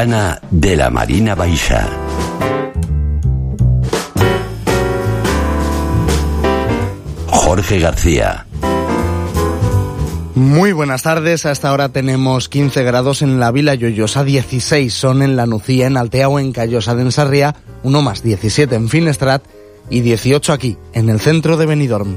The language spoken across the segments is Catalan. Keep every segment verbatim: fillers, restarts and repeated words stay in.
ventana de la Marina Baixa. Jorge García. Muy buenas tardes, a esta hora tenemos quince grados en la Vila Lloyosa, dieciséis son en La Nucía, en Altea o en Callosa de Ensarria, uno más, diecisiete en Finestrat y dieciocho aquí, en el centro de Benidorm.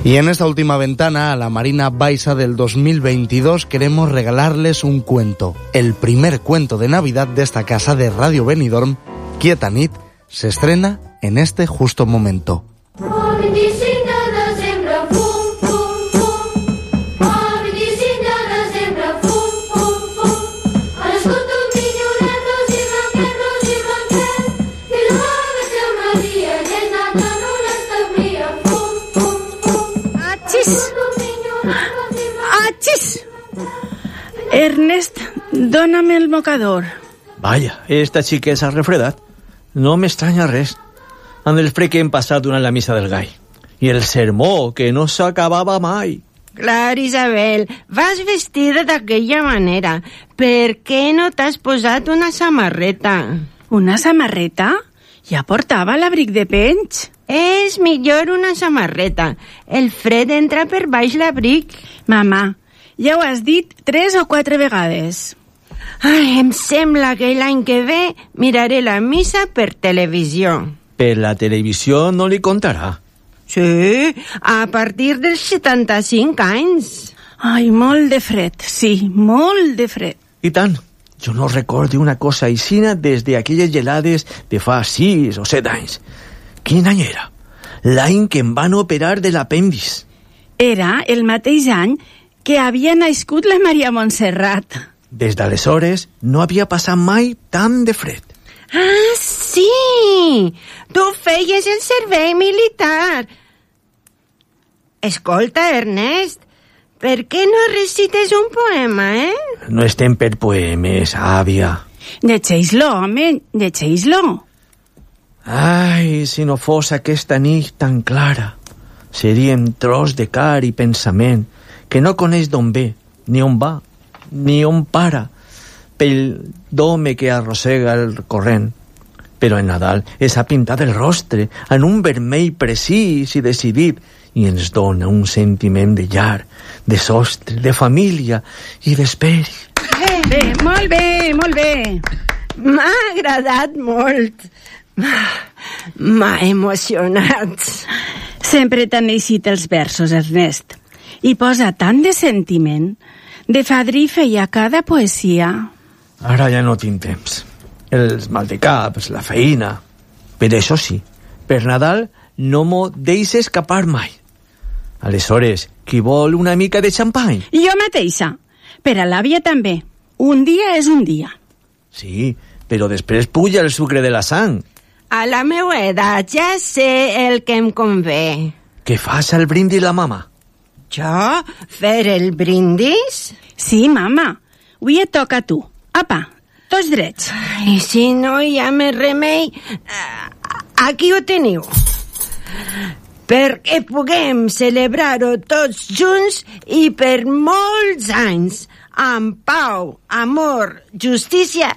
Y en esta última ventana, a la Marina Baixa del dos mil veintidós, queremos regalarles un cuento, el primer cuento de Navidad de esta casa de Radio Benidorm, Quieta Nit, se estrena en este justo momento. Ernest, dóname el mocador. Vaya, esta xiqueta s'ha refredat. No m'estranya res. Amb el fred que hem passat durant la missa del gall. I el sermó, que no s'acabava mai. Clar, Isabel, vas vestida d'aquella manera. Per què no t'has posat una samarreta? Una samarreta? Ja portava l'abric de penys. És millor una samarreta. El fred entra per baix l'abric. Mama, ja ho has dit tres o quatre vegades. Ai, em sembla que l'any que ve miraré la missa per televisió. Per la televisió no li contarà. Sí, a partir dels setanta-cinc anys. Ai, molt de fred, sí, molt de fred. I tant. Jo no recordo una cosa aixina des d'aquelles gelades de fa sis o set anys. Quin any era? L'any que em van operar de l'apèndix. Era el mateix any que havia nascut la Maria Montserrat. Des d'aleshores no havia passat mai tant de fred. Ah, sí! Tu feies el servei militar. Escolta, Ernest, per què no recites un poema, eh? No estem per poemes, àvia. Llegeix-lo, home, llegeix-lo. Ai, si no fos aquesta nit tan clara, seríem tros de car i pensament que no coneix d'on ve, ni on va, ni on para, pel d'home que arrossega el corrent. Però en Nadal és ha pintat el rostre en un vermell precís i decidit i ens dona un sentiment de llar, de sostre, de família i d'esperi. Bé, bé, molt bé, molt bé. M'ha agradat molt. M'ha emocionat. Sempre t'han eixit els versos, Ernest. I posa tant de sentiment. De fadrí feia cada poesia. Ara ja no tinc temps. Els maldecaps, la feina. Per això sí, per Nadal no m'ho deixes escapar mai. Aleshores, qui vol una mica de xampany? Jo mateixa. Per a l'àvia també. Un dia és un dia. Sí, però després puja el sucre de la sang. A la meva edat ja sé el que em convé. Què fas al brindis la mama? Jo? Fer el brindis? Sí, mama. Avui et toca a tu. Apa, tots drets. I si no hi ha més remei, aquí ho teniu. Perquè puguem celebrar-ho tots junts i per molts anys, amb pau, amor, justícia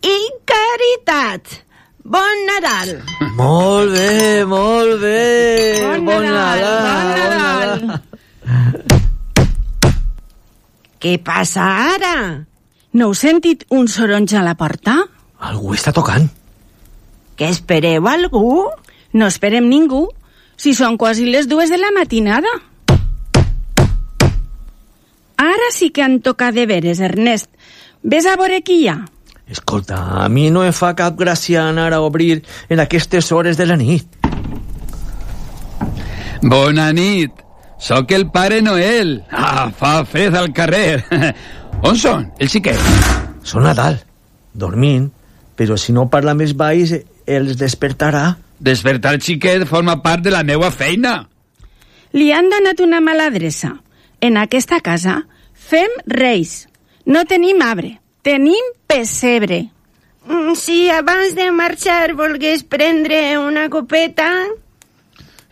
i caritat. Bon Nadal! Molt bé, molt bé! Bon, bon Nadal! Bon Nadal! Bon Nadal. Què passa ara? No heu sentit un soroll a la porta? Algú està tocant. Que espereu algú? No esperem ningú, si són quasi les dues de la matinada. Ara sí que han tocat de veres, Ernest. Ves a veure qui hi ha. Escolta, a mi no em fa cap gràcia anar a obrir en aquestes hores de la nit. Bona nit. Soc el Pare Noel. Ah, fa fred al carrer. On són, el xiquet? Són a dalt, dormint, però si no parla més baix els despertarà. Despertar el xiquet forma part de la meva feina. Li han donat una mala adreça. En aquesta casa fem reis. No tenim arbre, tenim pessebre. Si abans de marxar volgués prendre una copeta...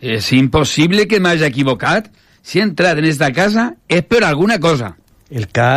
És impossible que m'hagi equivocat. Si he entrat en esta casa és per alguna cosa. El cas